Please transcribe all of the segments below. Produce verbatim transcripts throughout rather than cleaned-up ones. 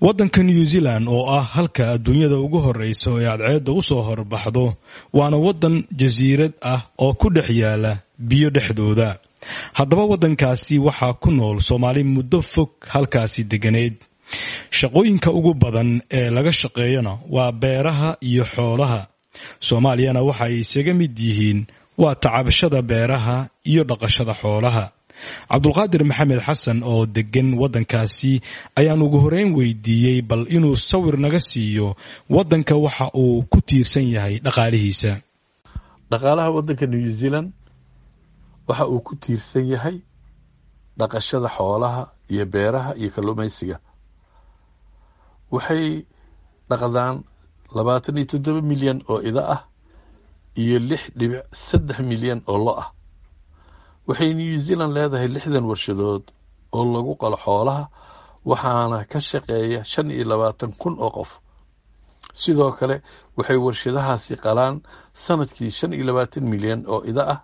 Waddanka New Zealand oo ah halka adduunyada ugu horreysa ee cadceedda u soo horbaxdo, waana waddan jasiirad ah oo ku dhex yaala biyo dhexdooda. Haddaba waddankaasi waxaa ku nool Soomaali muddo fog halkaasi degganayd. Shaqooyinka ugu badan ee laga shaqeeyona waa beeraha iyo xoolaha. Soomaaliyana waxa ay isaga mid yihiin waa tacabashada beeraha iyo dhaqashada xoolaha. Cabdulqaadir Maxamed Xasan oo deggan waddankaasi ayaan ugu horeyn weydiiyey bal inuu sawir naga siiyo waddanka waxa uu ku tiirsan yahay dhaqaalihiisa. Dhaqaalaha waddanka New Zealand waxa uu ku tiirsan yahay dhaqashada xoolaha iyo beeraha iyo kalluumaysiga. Waxay dhaqdaan labaatan iyo toddoba milyan oo ida ah iyo lix dhibic saddex milyan oo lo ah. Waxay New Zealand leedahay lixdan warshadood oo lagu qalo xoolaha, waxaana ka shaqeeya shan iyo labaatan kun oo qof. Sidoo kale waxay warshadahaasi qalaan sanadkii shan iyo labaatan milyan oo ida ah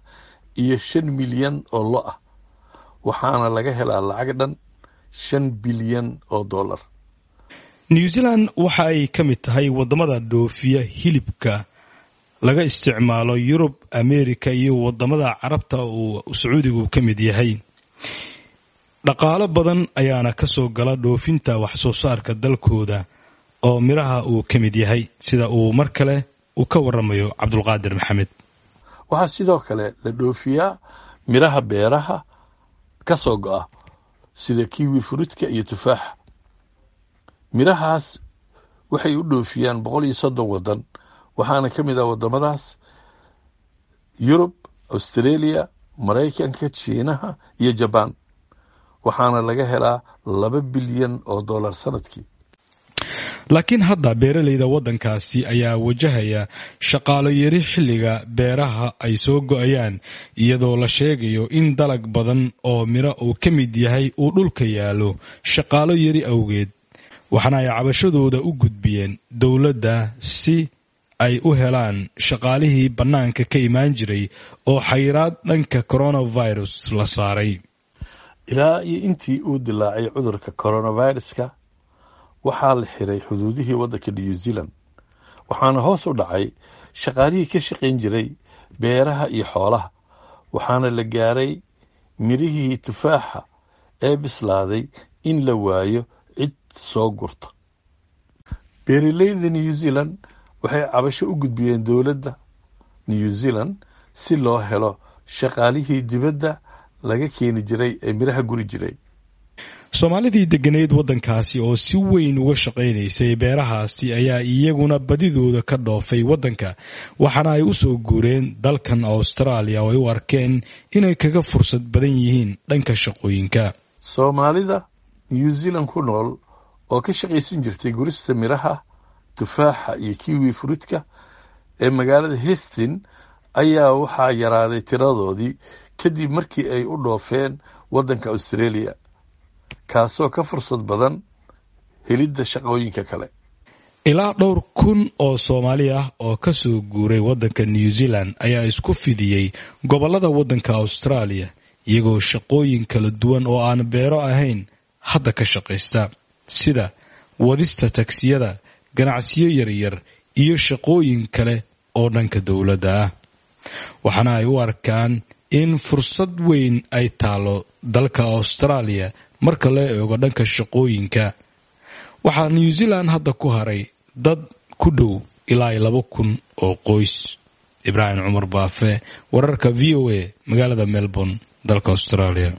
iyo shan milyan oo lo ah, waxaana laga helaa lacag dhan shan bilyan oo dollar. New Zealand waxa ay ka mid tahay waddamada dhoofiya hilibka laga isticmaalo Yurub, Ameerika iyo waddamada Carabta uu Sacuudigu ka mid yahay. Dhaqaalo badan ayaana ka soo gala dhoofinta wax soo saarka dalkooda oo midhaha uu ka mid yahay, sida uu mar kale uu ka waramayo Cabdulqaadir Maxamed. Waxaa sidoo kale la dhoofiyaa midhaha beeraha ka soo go'a sida kiwi fruitka iyo tufaaxa. Midhahaas waxay u dhoofiyaan boqol iyo soddon waddan, waxaana ka mid ah waddamadaas Yurub, Australia, Maraykanka, Jiinaha iyo Jabaan, waxaana laga helaa laba bilyan oo dollar sanadkii. Laakiin hadda beeralayda waddankaasi ayaa wajahaya shaqaalo yari xilliga beeraha ay soo go'ayaan, iyadoo la sheegayo in dalag badan oo midho uu ka mid yahay uu dhulka yaallo shaqaalo yari awgeed. Waxaana ay cabashadooda u gudbiyeen dowladda si ay u helaan shaqaalihii bannaanka ka imaan jiray oo xayiraad dhanka coronavirus la saaray. Ilaa iyo intii uu dilaacay cudurka coronaviruska, waxaa la xiray xuduudihii waddanka New Zealand, waxaana hoos u dhacay shaqaalihii ka shaqayn jiray beeraha iyo xoolaha, waxaana la gaaray midhihii tufaaxa ee bislaaday in la waayo cid soo gurta. Beeralayda New Zealand waxay cabasho u gudbiyeen dowladda New Zealand si loo helo shaqaalihii dibadda laga keeni jiray ee midhaha guri jiray. Soomaalidii degganayd waddankaasi oo si weyn uga shaqaynaysay beerahaasi ayaa iyaguna badidooda ka dhoofay waddanka, waxaana ay u soo guureen dalkan Australia oo ay u arkeen inay kaga fursad badan yihiin dhanka shaqooyinka. Soomaalida New Zealand ku nool oo ka shaqaysan jirtay gurista midhaha tufaaxa iyo kiwi fruitka ee magaalada Hastings ayaa waxaa yaraaday tiradoodii kadib markii ay u dhoofeen waddanka Australia, kaasoo ka fursad badan helidda shaqooyinka kale. Ilaa dhowr kun oo Soomaali ah oo ka soo guuray waddanka New Zealand ayaa isku fidiyey gobollada waddanka Australia, iyagoo shaqooyin kala duwan oo aan beero ahayn hadda ka shaqaysta, sida wadista tagsiyada, ganacsiyo yaryar iyo shaqooyin kale oo dhanka dowladda ah. Waxaana ay u arkaan in fursad weyn ay taalo dalka Australia marka loo eego dhanka shaqooyinka. Waxaa New Zealand hadda ku haray dad ku dhow ilaa laba kun oo qoys. Ibraahim Cumar Baafe, wararka V O A, magaalada Melbourne, dalka Australia.